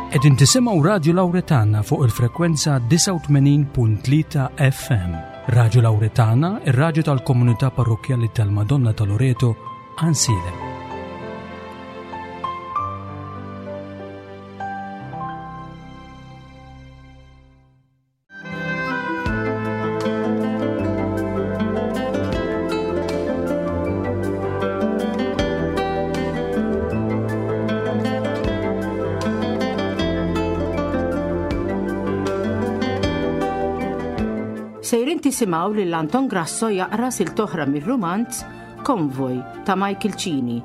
Qegħdin tisimgħu Radju Lawretana fuq il-frekwenza 89.3 FM. Radju Lawretana, ir-radju tal-komunità parrokkjali tal-Madonna ta' Loreto, Ansilem. Sejrin tisimgħu lil Anton Grasso jaqra silta oħra mir-rumanz Konvoj ta' Michael Cini,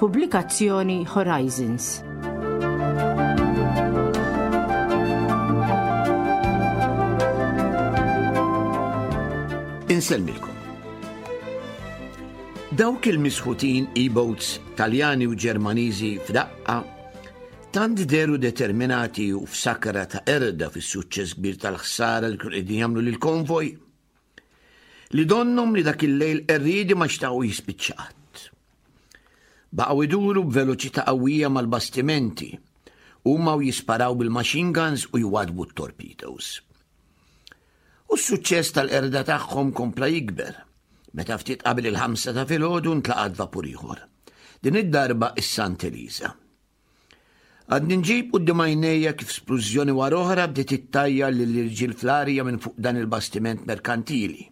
pubblikazzjoni Horizons. Insellmilkom. Dawk il-misħutin e-boats Taljani u Ġermaniżi f'daqqa tant deru determinati u f'sakra ta' erda fis-suċċess kbir tal-ħsara li kienu qegħdin jagħmlu lill-konvoj li donnhom li dak il-lejl qerriedi ma xtaqu jispiċċa qatt. Baqgħu iduru b'veloċità qawwija mal-bastimenti, huma u jisparaw bil-machine guns u jwadbu t-torpedoes. U s-suċċess tal-qerda tagħhom kompla jikber, meta ftit qabel il-ħamsa ta' filgħodu ntlaqat vapur ieħor. Din id-darba is-Sant Elisa. Għadni nġib quddiem għajnejja kif splużjoni wara oħra bdiet ittajjar lill-irġiel fl-arja minn fuq dan il-bastiment merkantili.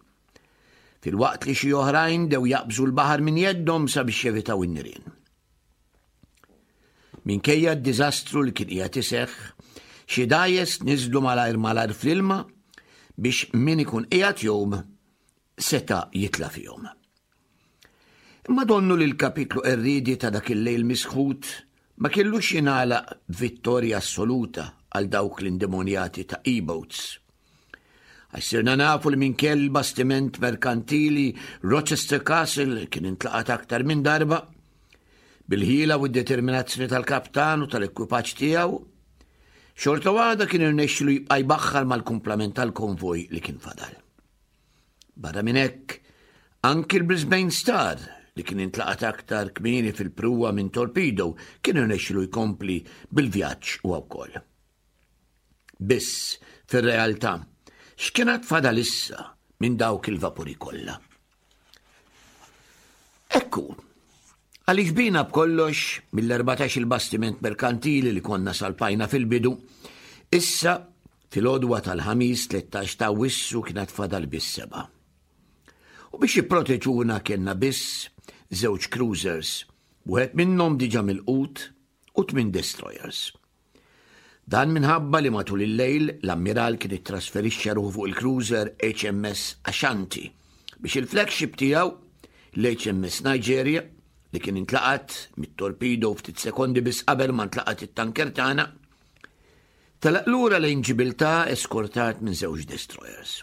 Filwaqt li xi oħrajn dew jaqbżu l-baħar minn jeddhom sabiex jevitaw in-nirien. Minkejja d-diżastru li kien qiegħed iseħħ, xi dgħajjes niżlu malajr malajr fl-ilma biex min ikun qiegħed jgħum seta' jitla' fihom. Imma donnu li l-kapitlu qerriedi ta' dak il-lejl misħut ma kellux jingħalaq b'vittorja assoluta għal dawk l-indemonjati ta' e-boats. Għax sirna nafu li minkejja l-bastiment merkantili Rochester Castle kien intlaqat aktar minn darba, bil-ħila u d-determinazzjoni tal-kaptan u tal-ekwipaġġ tiegħu, xorta waħda kien irnexxilu jibqa' jbaħħar mal-kumplament tal-konvoj li kien fadal. Barra minn hekk, anki l-Brisbane Star, li kien intlaqat aktar kmieni fil-pruwa minn torpedo, kien irnexxilu jkompli bil-vjaġġ huwa wkoll. Biss, fir-realtà, x'kien għad fadal issa minn dawk il-vapuri kollha? Ekku, għaliex bina b'kollox mill-14 il-bastiment merkantili li konna salpajna fil-bidu, issa Fil-għodwa tal-Ħamis 13 ta' Awwissu kien għad fadal biss sebgħa. U biex jipproteġuna kellna biss żewġ cruisers, wieħed minnhom diġà milqut u tmien destroyers. Dan minħabba li matul il-lejl l-ammiral kien ittrasferixxa ruħu fuq il-cruiser HMS Ashanti biex il-flagship tiegħu l-HMS Nigeria li kien intlaqat mit-torpedo ftit sekondi biss qabel ma ntlaqat it-tanker tagħna Telaq lura lejn Ġibiltà eskortat minn żewġ destroyers.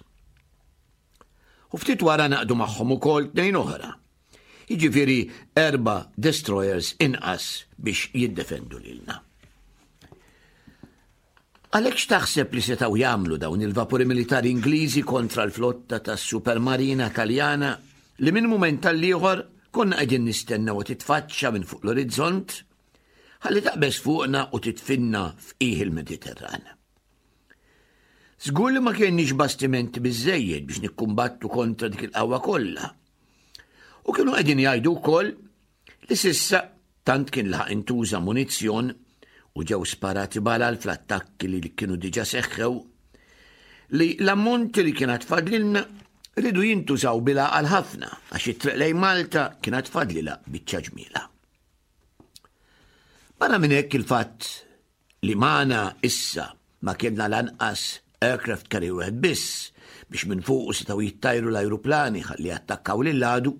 U ftit wara naqdu magħhom ukoll tnejn oħra. Jiġifieri erba' destroyers inqas biex jiddefendu lilna. Għalhekk x'taħseb li setgħu jagħmlu dawn il-vapuri militari Ingliżi kontra l-flotta tas-supermarina Taljana li minn mument tal-ieħor konna qegħdin nistennew titfaċċa minn fuq l-orizzont Ħalli taqbeż fuqna u titfinna f'qiegħ il-Mediterran. Żgur li ma kienniex bastimenti biżejjed biex nikkumbattu kontra dik il-qawwa kollha. U kienu qegħdin jgħidu wkoll li sissa tant kien laħaq intuża munizzjon u ġew sparati balal fl-attakki li kienu diġa seħħew li l-ammonti li kien fadlilna ridu jintużaw bila għal ħafna għax it-triq lejn Malta kienet fadlilha biċċa ġmiela. Barra minn hekk il-fatt li magħna issa ma kellna lanqas aircraft carrier wieħed biss biex minn fuqu setgħu jittajru l-ajruplani ħalli jattakkaw lil għadu,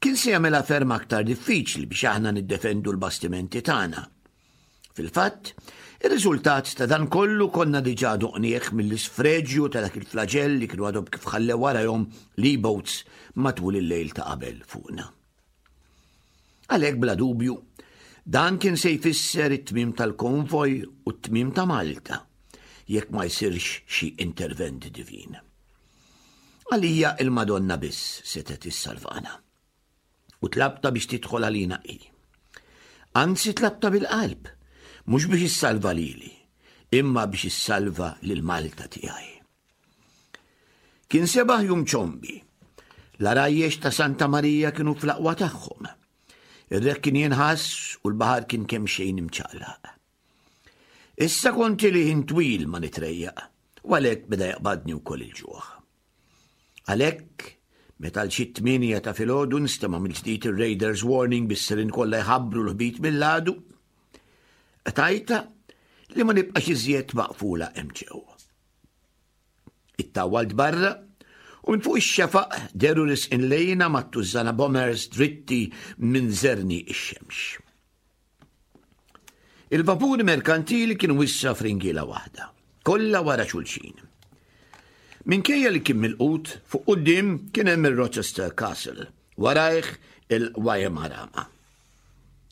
kien se jagħmilha ferm aktar diffiċli biex aħna niddefendu l-bastimenti tagħna. Fil-fatt, ir-riżultat ta' dan kollu konna diġà doqnieh mill-isfreġju ta' dak il-flaġell li kienu għadhom kif ħallew warajhom l-e-boats matul il-lejl ta' qabel fuqna. Għalhekk bla dubju, dan kien se jfisser it-tmiem tal-konvoj u t-tmiem ta' Malta, jekk ma jsirx xi intervent divin. Għalija il-Madonna biss setgħet issalvana. U tlabta biex tidħol għalina hi. Anzi tlabta bil-qalb, mhux biex issalva lili. imma biex issalva lil Malta tiegħi. Kien sebaħ jum ċombi. L-għarajjex ta' Santa Marija kienu fl-aqwa tagħhom. Ir-rek kien jinħass u l-baħar kien kemm xejn imċaqlaq. Issa kont ili ħin twil ma nitrejjaq, u għalhekk beda jaqbadni wkoll il-ġuħ. Għalhekk, meta għal xi t-tmienja ta' filgħodu nstema' mill-ġdid ir-Raiders Warning bis-sirien kollha jħabbru l-ħbit mill-għadu, qtajtha li ma nibqax iżjed maqfula hemm ġew. Ittawwalt barra u minn fuq ix-xefaq dehru risqin lejna mat-tużżana bombers dritti minn żerniq ix-xemx. Il-vapuri merkantili kienu issa f'ringiela waħda, kollha wara xulxin. Minkejja li kien milqut, fuq quddiem kien hemm ir-Rochester Castle, warajh il-Waimarama.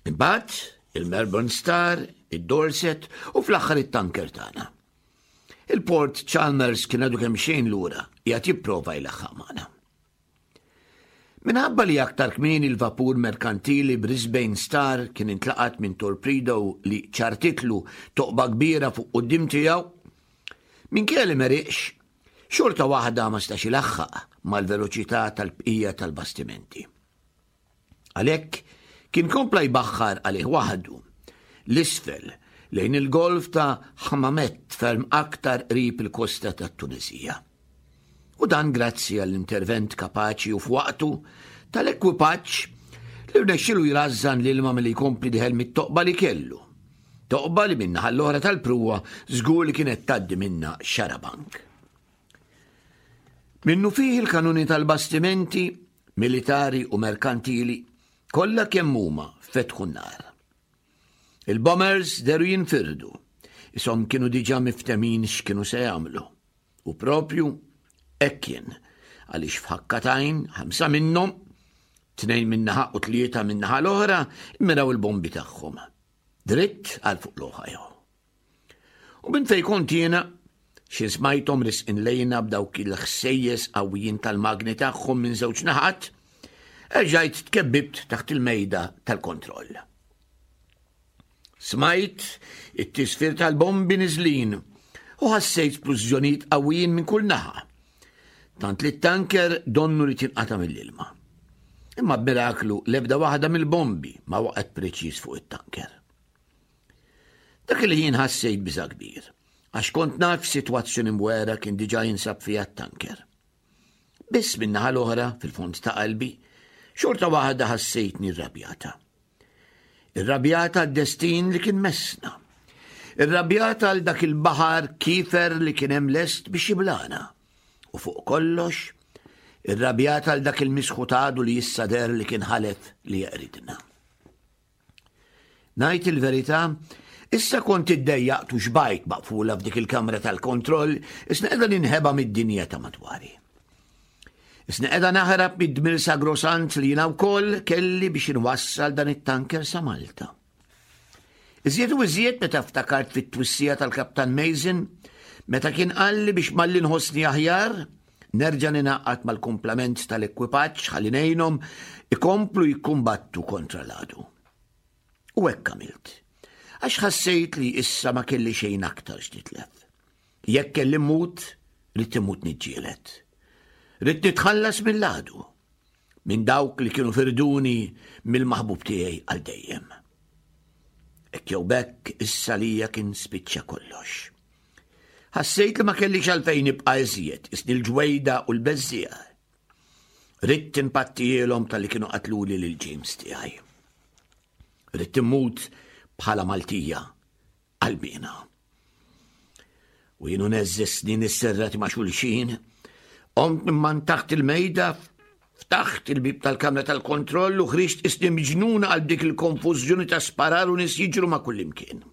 Imbagħad il-Melbourne Star, id-Dorset u fl-aħħar it-tanker tagħna. Il-Port Chalmers kien għadu kemm xejn lura, qiegħed jipprova jlaħħaq magħna. Minħabba li aktar kmieni l-vapur merkantili Brisbane Star kien intlaqat minn torpedo li ċartitlu toqba kbira fuq quddiem tiegħu, minkejja li m'għeriqx, xorta waħda ma stax ilaħħaq mal-veloċità tal-bqija tal-bastimenti. Għalhekk kien kompla jbaħħar għalih waħdu, 'l isfel lejn il-Golf ta' Hammamet ferm aktar qrib il-kosta tat-Tuneżija. U dan grazzi għall-intervent kapaċi u f'waqtu tal-ekwipaġġ li rnexxielu jrażżan l-ilma milli jkompli dieħel mit-toqba li kellu. Toqba li min-naħa l-oħra tal-pruwa żgur li kienet tgħaddi minnha xarabank. Minnufih il-kanuni tal-bastimenti militari u merkantili kollha kemm huma fetħu n-nar. Il-bombers deru jinfirdu, ishom kienu diġà miftemin x'kienu se jagħmlu. U propju hekk kien, għaliex f'ħakka t'għajn ħamsa minnhom, tnejn min-naħa u tlieta min-naħa l-oħra, immiraw il-bombi tagħhom. Dritt għal fuq l-Ohio. U minn fejn kont jiena, xi smajthom risqin lejna b'dawk il-ħsejjes qawwijin tal-magni tagħhom minn żewġ naħat, erġajt tkebbibt taħt il-mejda tal-kontroll. Smajt it-tisfir tal-bombi niżlin u ħassejt splużjonijiet qawwijin minn kull naħa. Tant li t-tanker donnu li tinqata' mill-ilma. Imma b'miraklu l-ebda waħda mill-bombi ma waqgħet preċiż fuq it-tanker. Dak il-ħin ħassejt biża' kbir, għax kont naf f'sitwazzjoni mwera kien diġà jinsab fiha t-tanker. Biss min-naħa l-oħra, fil-fond ta' qalbi, xorta waħda ħassejtni rrabjata. Irrabjata għad-destin li kien messna. Irrabjata għal dak il-baħar kifer li kien hemm lest biex jiblana. U fuq kollox, irrabjata għal dak il-misħutadu li issa der li kien ħalef li jeqridna. Ngħid il-verità, issa kont iddejjaqt u xbajt maqfula f'dik il-kamra tal-kontroll, isna qiegħda ninħeba mid-dinja ta' madwari. Isna qiegħda naħrab mid-dmir sagrosant li jiena wkoll kelli biex inwassal dan it-tanker sa Malta. Iżjed u iżjed meta ftakart fit-twissija tal-Kaptan Mason, meta kien qalli biex malli nħossni aħjar, Nerġa' ningħaqad mal-kumplament tal-ekwipaġġ ħalli ngħinhom ikomplu jikkumbattu kontra l-għadu. U hekk għamilt. Għax ħassejt li issa ma kelli xejn aktar x'nitlef. Jekk kelli mmut, ridt immut niġġieled. Ridt nitħallas mill-għadu, minn dawk li kienu firduni mill-maħbub tiegħi għal dejjem. Hekk jew b'hekk issa lija kien spiċċa kollox. Ħassejt li ma kellix għalfejn nibqa' iżjed, isni l-ġwejda u l-beżżiegħa. Ridt impattijielhom talli kienu qatluli lil James tiegħi. Ridt immut bħala Maltija qalbiena. U jienu neżżi snin isserrati ma' xulxin, qomt minn man taħt il-mejda Ftaħt il-bieb tal-kamra tal-kontroll u ħriġt isni miġnuna għal dik il-konfużjoni ta' sparar u nies jiġru ma' kullimkien.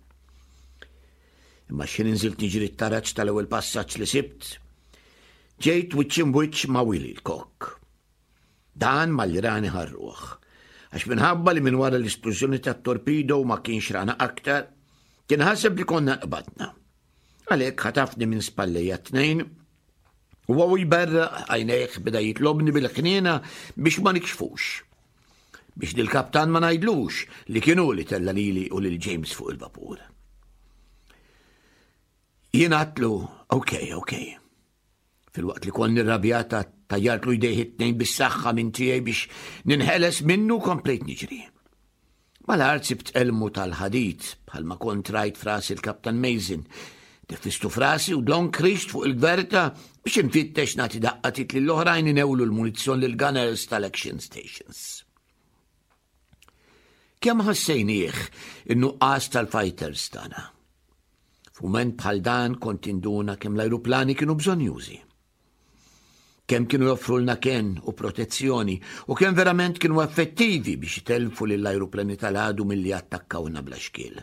Imma x'ħin inżilt niġri t-taraġ tal-ewwel passaġġ li sibt, ġejt wiċċ imwiċċ ma' Willy l-kok. Dan malli rani ħarruh, għax minħabba li minn wara l-isplużjoni tat-torpedo ma kienx rana aktar, kien ħaseb li konna nqbadna. Għalhekk ħatafni minn spallejja t-tnejn Huwa u jberraq għajnejh beda jitlobni bil-ħniena biex ma nikxfux. Biex lill-kaptan ma ngħidlux li kien hu li tella' lili u lil James fuq il-vapur. Jien għatlu, ok, ok. Filwaqt li konni rrabjata tajjartlu jdejh it-tnejn bis-saħħa minn tiegħi biex ninħeles minnu komplejt niġri. Mal-art sibt elmu tal-ħadid bħalma kont rajt fras il-Kaptan Mason. Defistu frasi u dlon krixt fuq il-gverta biex infittex nagħti daqqa tit lill-oħrajn inewlu l-munizzjon lill-gunners tal-action stations. Kemm ħassejnieh in-nuqqas tal-fighters tagħna. F'mument bħal dan kont induna kemm l-ajruplani kienu bżonjużi. Kemm kienu joffrulna kenn u protezzjoni u kemm verament kienu effettivi biex jitellfu lill-ajruplani tal-għadu milli attakkawna bla xkiel.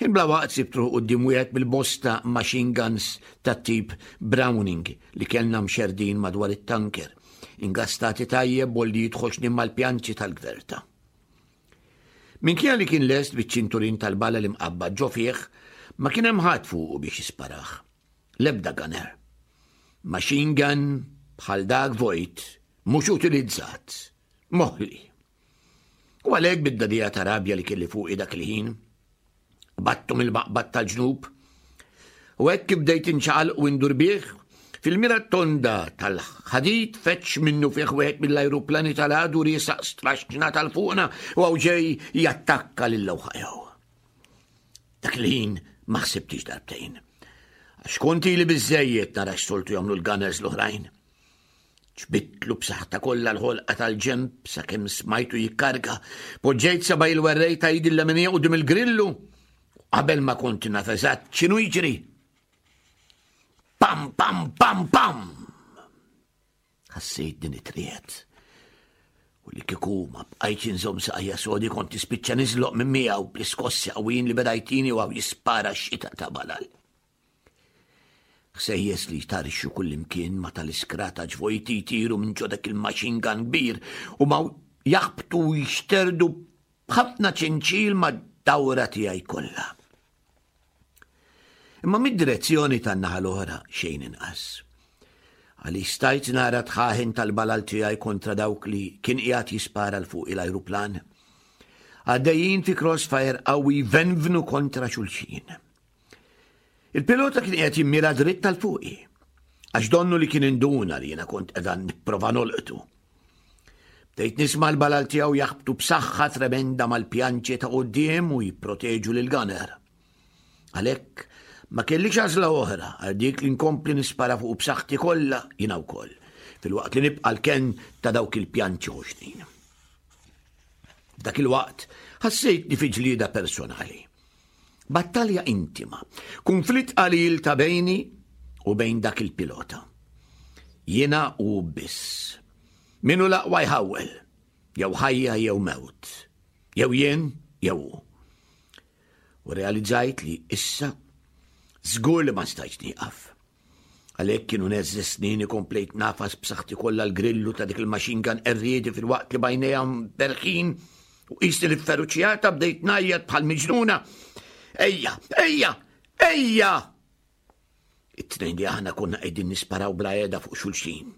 Ħin bla waqt sibt ruħ quddiem wieħed mill-bosta machine guns tat-tip Browning li kellna mxerrdin madwar it-tanker, ingastati tajjeb bollijiet ħoxnin mal-pjanċi tal-gverta. Minkejja li kien lest biċ-ċinturin tal-bala li mqabbad ġo fih, ma kien hemm ħadd fuqu biex jisparah. L-ebda gunner. Machine gun bħal dak vojt, mhux utilizzat, moħli. U għalhekk bid-dadija ta' rabja li kelli fuqi dak il-ħin, battu mill-maqbad tal-ġnub. U hekk kif bdejt inċaqal u indur bih, fil-mira tonda tal-ħadid feċ minnu fih wieħed mill-ajruplani tal-għadu riesaq straxxna tal-fuqna u għaw ġej jattakka lil Ohio. Dak il-ħin ma ħsibtix darbtejn. Għax kont ili biżejjed nara x'soltu jagħmlu l-gunners l-oħrajn. Ġbidtlu b'saħħta kollha l-ħolqa tal-ġenb sakemm smajtu jikkarga. Poġġejt seba' il-werrej ta' idi l-leminija quddiem il-grillu. Qabel ma kont naf eżatt x'inhu jiġri. Pam, pam, pam, pam! Ħassejt din it-triet. U li kieku ma bqajtx inżomm saqajja sodi kont nispiċċa niżloq minn miegħu bl-iskossi qawwijin li beda jtini u għaw jispara x-xita ta' balal. Ħsejjes li jtarxu kullimkien ma tal-iskrata ġvojti jtiru minn ġo dak il-machine gun kbir u ma jaħbtu u jixterdu b'ħafna ċinċil mad-dawra tiegħi kollha. Imma mid-direzzjoni tan-naħa l-oħra xejn inqas. Għaliex stajt nara tħaħin tal-balal tiegħi kontra dawk li kien qiegħed jispara l fuq l-ajruplan. Għaddejjin fi crossfire qawwi jvenvnu kontra xulxin. Il-pilota kien qiegħed jimmira dritt tal fuqi, għax donnu li kien induna li jiena kont qiegħda nipprova nolqtu. Bdejt nisma' l-balal tiegħu jaħbtu b'saħħa tremenda mal-pjanċi ta' quddiem u jipproteġu lil gunner. Għalhekk ma kellix għażla oħra għal dik li nkompli nispara fuq b'saħħti kollha jiena wkoll, filwaqt li nibqa' l-kenn ta' dawk il-pjanċi ħoxnin. F'dak il-waqt ħassejtni fi ġlieda personali. Battalja intima, kunflitt qalil ta' bejni u bejn dak il-pilota. Jiena u biss. Min hu l-aqwa jħawwel, jew ħajja jew mewt, jew jien jew hu. U realizzajt li issa żgur li ma stajtx nieqaf. Għalhekk kienu neżżi snini komplejt nafas b'saħħti kollha l-grillu ta' dik il-machine gun qerriedi filwaqt li bajnejha berħin u qisni li feruċjata bdejt ngħajjat bħal miġnuna. Ejja, ejja, ejja! It-tnejn li aħna konna qegħdin nisparaw bla qiegħda fuq xulxin.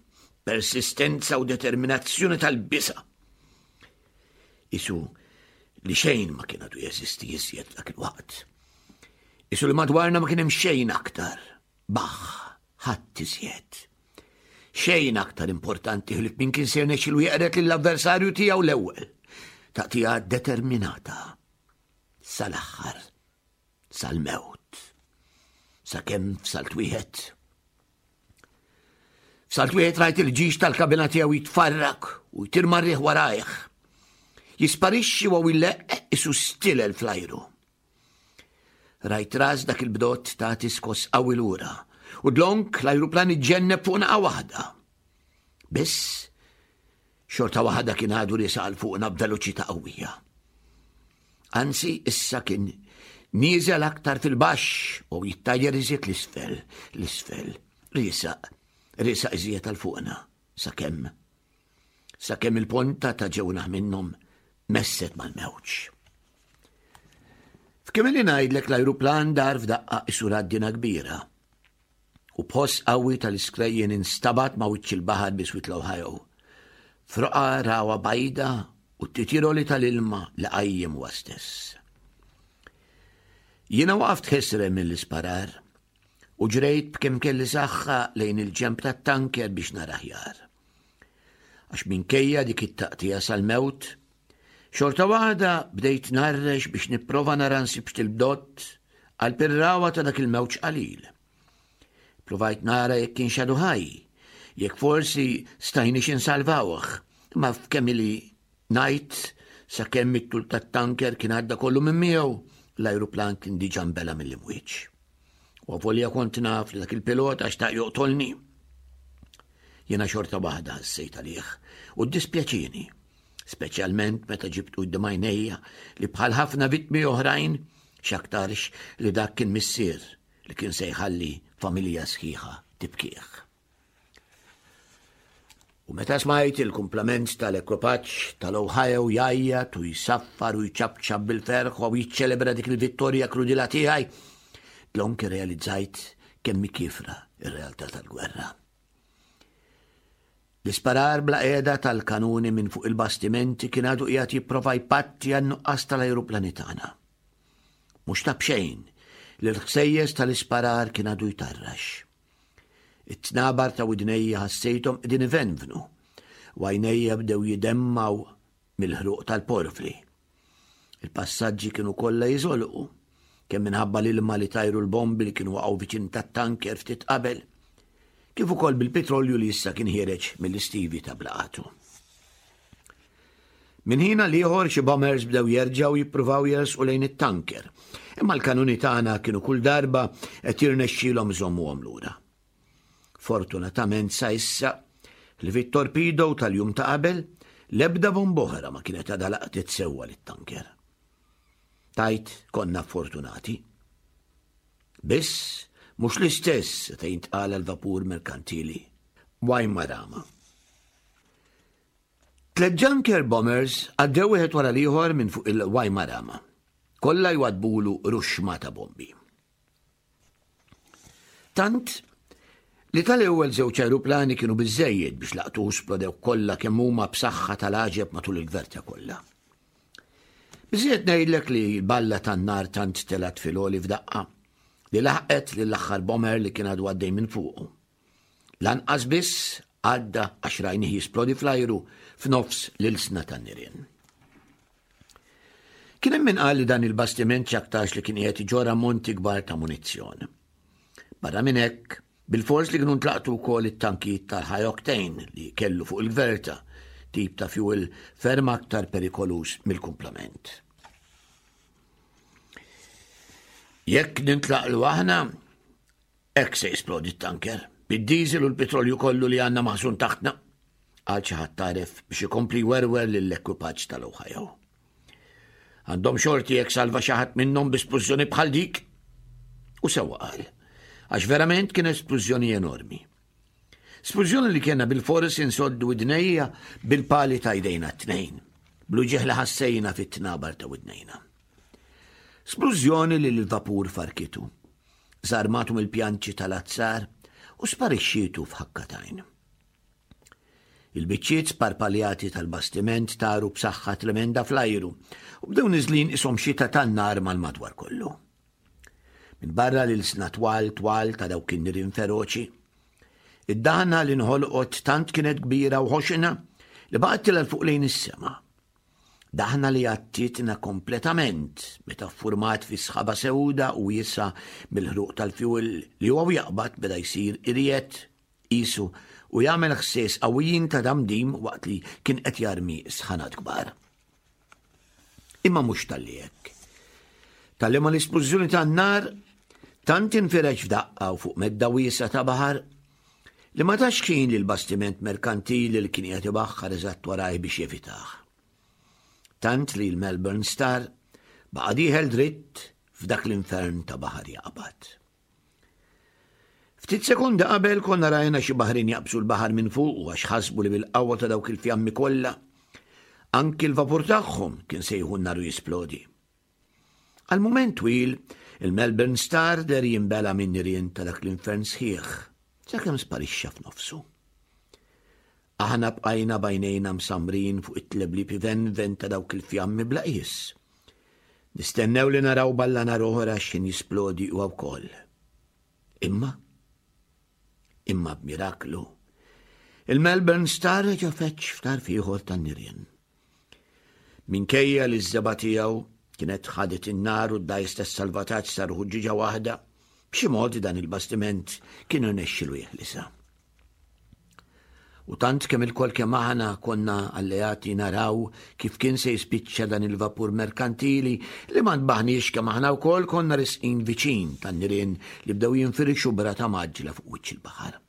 Persistenza u determinazzjoni tal-bisa. Isu li xejn ma kien għadu jeżisti iżjed dak il-waqt. Isu li madwarna ma kien hemm xejn aktar. Baħ, ħadd iżjed. Xejn aktar importanti ħlief min kien se jirnexxilu jeqred lill-avversarju tiegħu l-ewwel. Taqtija determinata sal-aħħar, sal-mewt. Sakemm f'salt wieħed. F'salt wieħed rajt il-ġix tal-kabina tiegħu jitfarrak u jtir marriħ warajh. Jisparixxi u jleqq isu stilel fl-ajru. Rajt ras dak il-bdot tagħti skoss qawwi lura u dlonk l-ajruplan iġġenneb fuq naqa waħda. Biss, xorta waħda kien għadu riesaq għal fuqna b'veloċità qawwija. Anzi, issa kien nieżel aktar fil-baxx u jittajjer iżjed l-isfel, l-isfel, riesaq, riesaq iżjed għal fuqna, sakemm sakemm il-ponta ta' ġewnaħ minnhom messet mal-mewġ. F'kemm li ngħidlek l-ajruplan dar f'daqqa isu raddina kbira u b'ħoss qawwi tal-iskrejjen instabat ma' wiċċ il-baħar biswit l-Ohio. Froqa rawa bajda u t-titiroli tal-ilma li qajjem huwa stess. Jiena waqaft ħesrem mill-isparar u ġrejt b'kemm kelli saħħa lejn il-ġenb tat-tanker biex nara aħjar. Għax minkejja dik it-taqtija sal-mewt, xorta waħda bdejt narrex biex nipprova nara nsibx il-bdott għal pirrawa ta' dak il-mewġ qalil. Provajt nara jekk kienx għadu ħaj, jekk forsi stajniex insalvawh, imma f'kemm ili ngħid sakemm it-tul tat-tanker kien għadda kollu minn miegħu, l-ajruplan kien diġà nbela mill-imwieġ. U avolja kont naf li dak il-pilota xtaq joqtolni. Jiena xorta waħda ħassejt għalih u ddispjaċieni, speċjalment meta ġibt quddiem għajnejja li bħal ħafna vittmi oħrajn x'aktarx li dak kien missier li kien se jħalli familja sħiħa tibkih. U meta smajt il-kumplament tal-ekwipaġġ tal-Ohio jgħajjat u jsaffar u jċapċap bil-ferħ u jiċċelebra dik il-vittorja krudila tiegħi, dlonk irrealizzajt kemm hi kiefra r-realtà tal-gwerra. L-isparar bla qiegħda tal-kanuni minn fuq il-bastimenti kien għadu qiegħed jipprova jpatti għan-nuqqas tal-ajruplani tagħna. Mhux ta' b'xejn li l-ħsejjes tal-isparar kien għadu jtarrax. It-tnabar ta' widnejja ħassejthom qegħdin ivenvnu u għajnejja bdew jidemmgħu mill-ħruq tal-porfli. Il-passaġġi kienu kollha jiżolqu, kemm minħabba l-ilma li tajru l-bombi li kienu waqgħu viċin tat-tanker ftit qabel, kif ukoll bil-pitrolju li issa kien ħiereġ mill-istivi ta' blaqatu. Minn ħin għal ieħor xi bombers bdew jerġgħu jippruvaw jersqu lejn it-tanker, imma l-kanuni tagħna kienu kull darba qed jirnexxielhom iżommuhom lura. Fortunatament sa issa, li fit-torpedo tal-jum ta' qabel, l-ebda bomba oħra ma kienet għadha laqtet sewwa lit-tanker. Tajt konna fortunati. Biss, mhux l-istess seta' jintqal għall-vapur merkantili Waimarama. Tlett Junker bombers għaddew wieħed wara l-ieħor minn fuq il-Waimarama, kollha jwaddbulu ruxxma ta' bombi. Tant li tal-ewwel żewġ ajruplani kienu biżżejjed biex laqtu splodew kollha kemm huma b'saħħa tal-għaġeb matul il-gverta kollha. Biżżejjed ngħidlek li l-balla tan-nar tant telgħet fil-għoli f'daqqa li laħqet lill-aħħar bomber li kien għadu għaddej minn fuqu. Lanqas biss għadda għax rajnih jisplodi fl-ajru f'nofs l-ilsna tan-nirien. Kien hemm min qal li dan il-bastiment x'aktarx li kien qiegħed iġorr ammonti kbar ta' munizzjon. Barra minn hekk, bilfors li kienu ntlaqtu wkoll it-tankijiet tal-high octane li kellu fuq il-gverta, tip ta' fuel ferm aktar perikoluż mill-kumplament. Jekk nintlaqlu aħna, Hekk se jisplodi t-tanker, bid-diesel u l-pitrolju kollu li għandna maħżun taħtna, qal xi ħadd tagħref biex ikompli jwerwer lill-ekwipaġġ tal-Ohio. Għandhom xorti jekk salva xi ħadd minnhom bi splużjoni bħal dik. U sewwa qal, għax verament kien splużjoni enormi. Splużjoni li kienna bil-fors insoddu widnejja bil-pali ta' jdejna t-tnejn, bl-uġigħ li ħassejna fit-tnabar ta' widnejna. Splużjoni li l-vapur farkitu. Żarmatu mill-pjanċi tal-azzar u sparixxietu f'ħakka t'għajn. Il-biċċiet sparpaljati tal-bastiment taru b'saħħa tremenda fl-ajru u bdew niżlin ishom xita tan-nar mal-madwar kollu. Minn barra l-ilsna twal twal ta' dawk in-nirien feroċi, id-daħna li nħolqot tant kienet kbira u ħoxna li baqgħet tilgħal fuq lejn is-sema. Daħna li għattietna kompletament meta ffurmat fi sħaba sewda u wiesgħa mill-ħruq tal-fjuwil li huwa u jaqbad beda jsir irjed qisu u jagħmel ħsies qawwijin ta' damdim waqt li kien qed jarmi sħanat kbar. Imma mhux talli hekk. Talli ma l-isplużjoni tan-nar tant infirex f'daqqa u fuq medda wiesgħa ta' baħar li ma tax ħin lill-bastiment merkantili li kien qiegħed ibaħħar eżatt warajh biex jevitah. Tant li l-Melbourne Star baqa' dieħel dritt f'dak l-infern ta' baħar jaqbad. Ftit sekondi qabel konna rajna xi baħrin jaqbżu l-baħar minn fuq għax ħasbu li bil-qawwa ta' dawk il-fjammi kollha anki l-vapur tagħhom kien se jieħu n-nar u jisplodi. Għal mument twil, il-Melbourne Star deher jinbela' min-nirien ta' dak l-infern sħiħ, sakemm sparixxa f'nofsu. Aħna bqajna b'għajnejna msammrin fuq it-tleblib ivenven ta' dawk il-fjammi bla qies. Nistennew li naraw balla nar oħra x'ħin jisplodi huwa wkoll. Imma, imma b'miraklu, il-Melbourne Star reġa' feġġ f'tarf ieħor tan-nirien. Minkejja li ż-żebgħa tiegħu kienet ħadet in-nar u d-dgħajs tas-salvataġġ saru ħuġġieġa waħda, b'xi mod dan il-bastiment kien irnexxilu jeħlisha. U tant kemm ilkoll kemm aħna konna alleati naraw kif kien se jispiċċa dan il-vapur merkantili li ma ntbaħniex kemm aħna wkoll konna risqin viċin tan-nirien li bdew jinfirxu b'rata mgħaġġla fuq wiċċ il-baħar.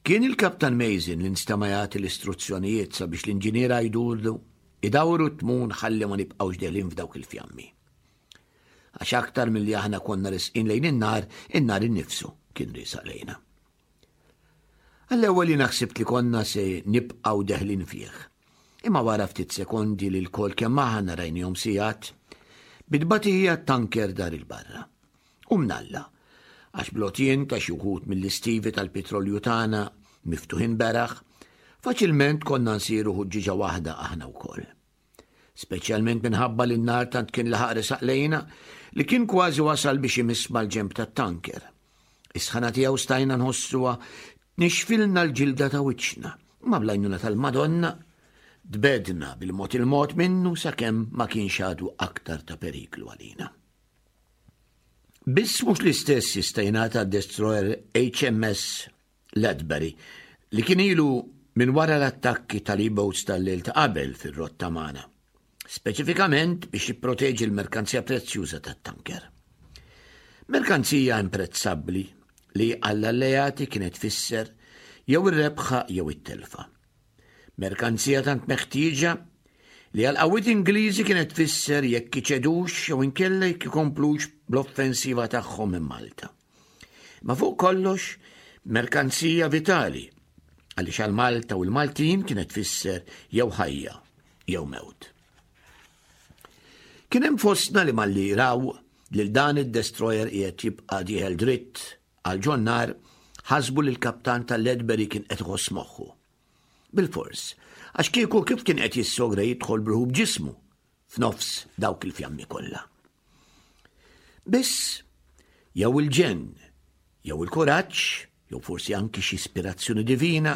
Kien il-Kaptan Mason li nstema' jagħti l-istruzzjonijiet sabiex l-inġiniera jduru idawru t-tmun ħalli ma nibqgħux deħlin f'dawk il-fjammi. Għax aktar milli aħna konna resqin lejn in-nar, in-nar innifsu kien riesaq lejna. Għall-ewwel jiena ħsibt li konna se nibqgħu deħlin fih. Imma wara ftit sekondi li lkoll kemm aħna rajnihom sigħat, bit-tbatija t-tanker dar il-barra. U mnalla, għax bl-għotien ta' xi wħud mill-istivi tal-pitrolju tagħna miftuħin beraħ, faċilment konna nsiru ħuġġieġa waħda aħna wkoll. Speċjalment minħabba li n-nar tant kien laħaq resaq lejna li kien kważi wasal biex imiss mal-ġenb tat-tanker. Is-sħana tiegħu stajna nħossuha tnixxfilna l-ġilda ta' wiċċna, imma bl-għajnuna tal-Madonna tbegħdna bil-mod il-mod minnu sakemm ma kienx għadu aktar ta' periklu għalina. Biss mhux l-istess jista' jingħad għad-destroyer HMS Ledbury li kien ilu minn wara l-attakki tal-E-boats tal-lejl ta' qabel fir-rotta magħna, speċifikament biex jipproteġi l-merkanzija prezzjuża tat-tanker. Merkanzija imprezzabbli li għall-alleati kienet tfisser jew ir-rebħa jew it-telfa. Merkanzija tant meħtieġa li għall-qawwiet Ingliżi kienet tfisser jekk iċedux jew inkella jekk ikomplux bl-offensiva tagħhom minn Malta. Ma fuq kollox, merkanzija vitali għaliex għal Malta u l-Maltin kienet tfisser jew ħajja jew mewt. Kien hemm fostna li malli raw lil dan id-destroyer qiegħed jibqa' dieħel dritt għal ġon-nar ħasbu li l-kaptan tal-Ledbury kien qed iħoss moħħu. Bilfors, għax kieku kif kien qed jissogra jidħol b'ruħu b'ġismu f'nofs dawk il-fjammi kollha. Biss, jew il-ġenn, jew il-kuraġġ, jew forsi anki xi ispirazzjoni divina,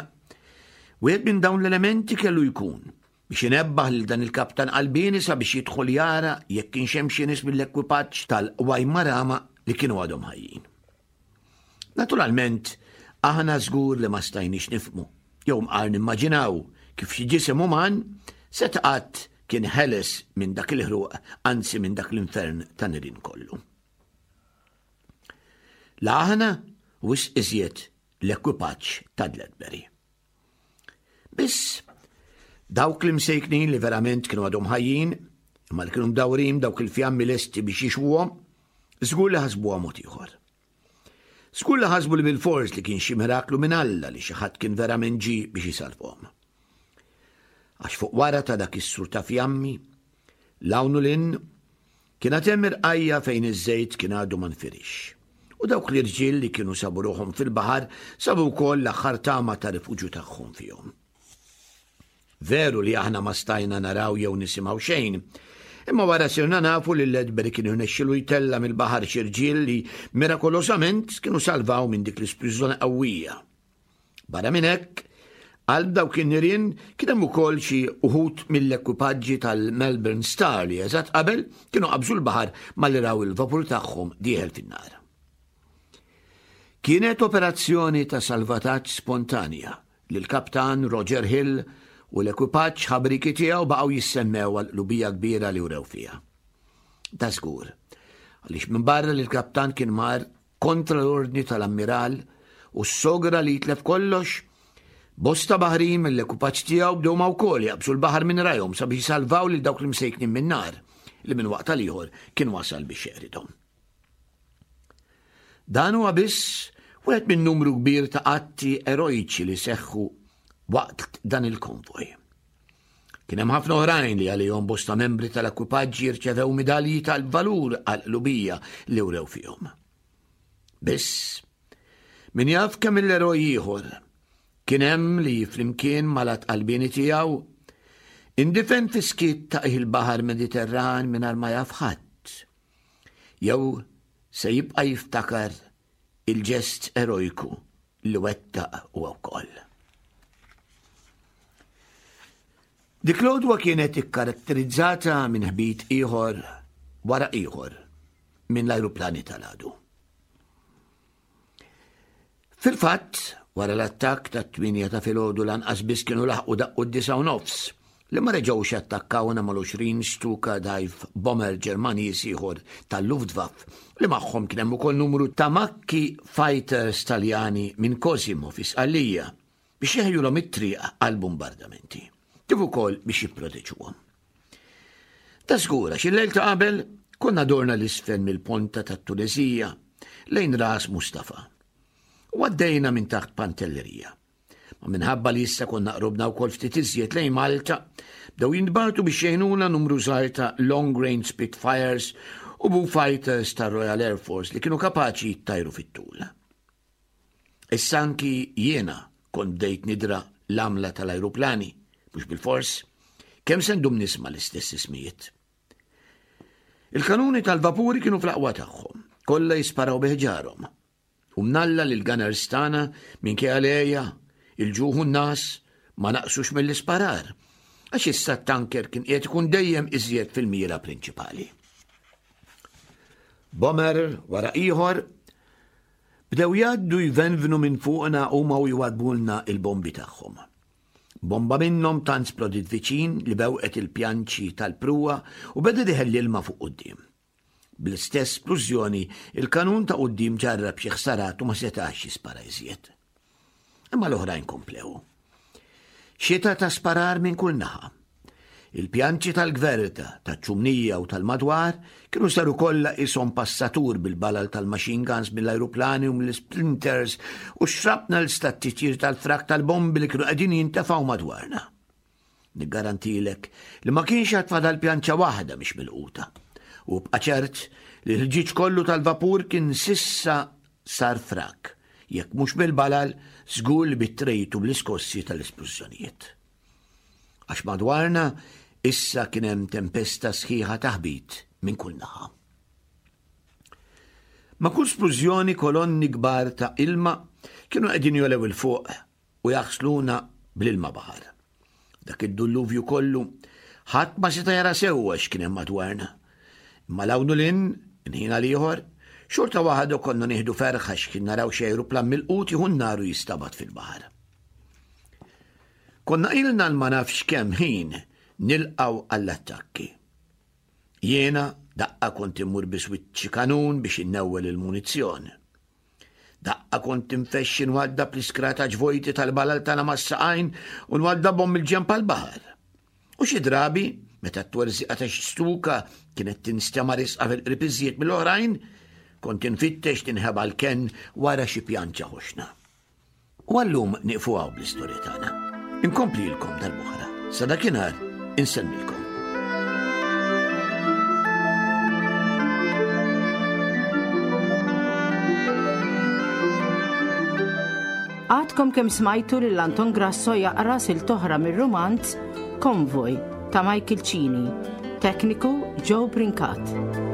wieħed minn dawn l-elementi kellu jkun biex inebbaħ lil dan il-kaptan qalbieni sabiex jidħol jara jekk kienx hemm xi nies mill-ekwipaġġ tal-Waimarama li kienu għadhom ħajjin. Naturalment, aħna żgur li ma stajniex nifhmu, jew mqar nimmaġinaw kif xi ġisem uman seta' qatt kien ħeles minn dak il-ħruq, anzi minn dak l-infern ta' nirien kollu. La aħna wisq iżjed l-ekwipaġġ ta' Dledbury. Biss, dawk l-imsejknin li verament kienu għadhom ħajjin, imma li kienu mdawrin dawk il-fjammi lesti biex jixwuhom, żgur li ħasbuha mod ieħor. Żgur li ħasbu li bil-fors li kien xi miraklu minn Alla li xi ħadd kien verament ġie biex isalvhom. Għax fuq wara ta' dak is-sur ta' fjammi, l-hawn u l-in, Kien għad hemm irqajja' fejn iż-żejt kien għadu ma nfirixx. U dawk l-irġiel li kienu sabu ruħhom fil-baħar sabu wkoll l-aħħar tama ta' rifuġju tagħhom fihom. Veru li aħna ma stajna naraw jew nisimgħu xejn, imma wara sirna nafu li Ledbury kien irnexxilu jtella' mill-baħar xi rġiel li mirakolosament kienu salvaw minn dik l-isplużjoni qawwija. Barra minn hekk, qalb dawk in-nirien kien hemm ukoll xi uħud mill-ekwipaġġi tal-Melbourne Star li eżatt qabel kienu qabżu l-baħar malli raw il-vapur tagħhom dieħel fin-nar. Kienet operazzjoni ta' salvataġġ spontanja li l-Kaptan Roger Hill u l-ekwipaġġ ħabrieki tiegħu baqgħu jissemmew għall-qlubija kbira li wrew fiha. Da żgur, għaliex minbarra li l-kaptan kien mar kontra l-ordni tal-ammiral u ssogra li jitlef kollox, bosta baħrin mill-ekwipaġġ tiegħu bdew ma wkoll jaqbżu l-baħar minn rajhom sabiex jisalvaw lil dawk l-imsejknin min-nar li minn waqt għal ieħor kien wasal biex jeqridhom. Dan huwa biss wieħed minn numru kbir ta' atti erojċi li seħħu waqt dan il-konvoj. Kien hemm ħafna oħrajn li għalihom bosta membri tal-ekwipaġġi rċevew midalji tal-valur għal qlubija li wrew fihom. Biss, min jaf kemm il-eroj ieħor kien hemm li flimkien mal-għat qalbieni tiegħu. Indifen fi skiet ta' il-baħar Mediterran mingħajr ma jaf ħadd. Jew se jibqa' jiftakar il-ġest erojku li wettaq huwa wkoll. Dik l-għodwa kienet ikkaratterizzata minn ħbit ieħor wara ieħor minn l-ajruplani tal-għadu. Fil-fatt, wara l-attakk tat-tmienja ta' filgħodu lanqas biss kienu laħqu daqqu d-disgħa u nofs li ma reġgħux attakkawna mal-20 Stuka dive bomber Ġermaniż ieħor tal-Luftwaffe li magħhom kien hemm ukoll numru ta' makki fighters Taljani minn Cosimo fi Sqallija biex jeħjulhom it-triq għall-bumbardamenti, kif ukoll biex jipproteġuhom. Ta' żgur għax il-lejl ta' qabel konna dorna l-isfel mill-ponta tat-Tuneżija lejn ras Mustafa. U għaddejna minn taħt Pantellerija. Ma minħabba li issa konna qrobna wkoll ftit iżjed lejn Malta, bdew jintbagħtu biex jgħinuna numru żgħir ta' Long Range Spitfires u Boo Fighters ta' Royal Air Force li kienu kapaċi jittajru fit-tul. Issa anki jiena kont bdejt nidra l-għamla tal-ajruplani, mhux bilfors, kemm se ndum nisma' l-istess ismijiet. Il-kanuni tal-vapuri kienu fl-aqwa tagħhom, kollha jisparaw bi ħġarhom. U mnalla li l-gunners tagħna minkejja l-għeja, il-ġuħ u n-nas ma naqsux mill-isparar, għax issa t-tanker kien qiegħed ikun dejjem iżjed fil-mira prinċipali. Bomber wara ieħor Bdew jgħaddu jvenvnu minn fuqna huma u jwaddbulna il-bombi tagħhom. Bomba minnhom tant splodiet viċin li bewqet il-pjanċi tal-pruwa u beda diħel l-ilma fuq quddiem. Bl-istess splużjoni, il-kanun ta' quddiem ġarrab xi ħsarat u ma setax jispara iżjed. Imma l-oħrajn komplew. Xita ta' sparar minn kull naħa. Il-pjanċi tal-gverta, taċ-ċumnija u tal-madwar kienu saru kollha qishom passatur bil-balal tal-machine guns mill-ajruplani u mill-splinters u x-shrapnels tat-titjir tal-frak tal-bombi li kienu qegħdin jintefgħu madwarna. Niggarantilek li ma kienx għad fadal pjanċa waħda mhix milquta. U bqa' ċert li l-ħġieġ kollu tal-vapur kien sissa sar frak, jekk mhux bil-balal, żgur li bit-trejt u bl-iskossi tal-isplużjonijiet. Għax madwarna issa kien hemm tempesta sħiħa ta' ħbit minn kull naħa. Ma' kull splużjoni kolonni kbar ta' ilma kienu qegħdin jolew 'il fuq u jaħsluna bl-ilma baħar. Dak id-dulluvju kollu ħadd ma seta' jara sewwa x'kien hemm madwarna. Imma 'l hawn u 'l hinn, minn ħin għal ieħor, xorta waħda konna nieħdu ferħ għax kien naraw xi ajruplan milqut jieħu n-nar u jistabat fil-baħar. Konna ilna l-ma nafx kemm ħin nilqgħu għall-attakki. Jiena daqqa kont immur bi swiċċi kanun biex innewwel il-munizzjon. Daqqa kont infexxi nwaddab l-iskrataġ vojti tal-balal tagħna mas-saqajn u nwaddabhom mill-ġenb għall-baħar. U xi drabi, meta t-twerżiqa ta' xi stuka kienet tinstema' risqa fil-qrib iżjed mill-oħrajn, kont infittex tinħeba l-kenn wara xi pjanċa ħoxna. U għallum nieqfu hawn bl-istorja tagħna. Inkomplilkom darb'oħra. Sa dakinhar insellmilkom. Għadkom kemm smajtu lil Anton Grasso jaqra silta oħra mir-rumanz Konvoj ta' Michael Cini, tekniku Joe Brincat.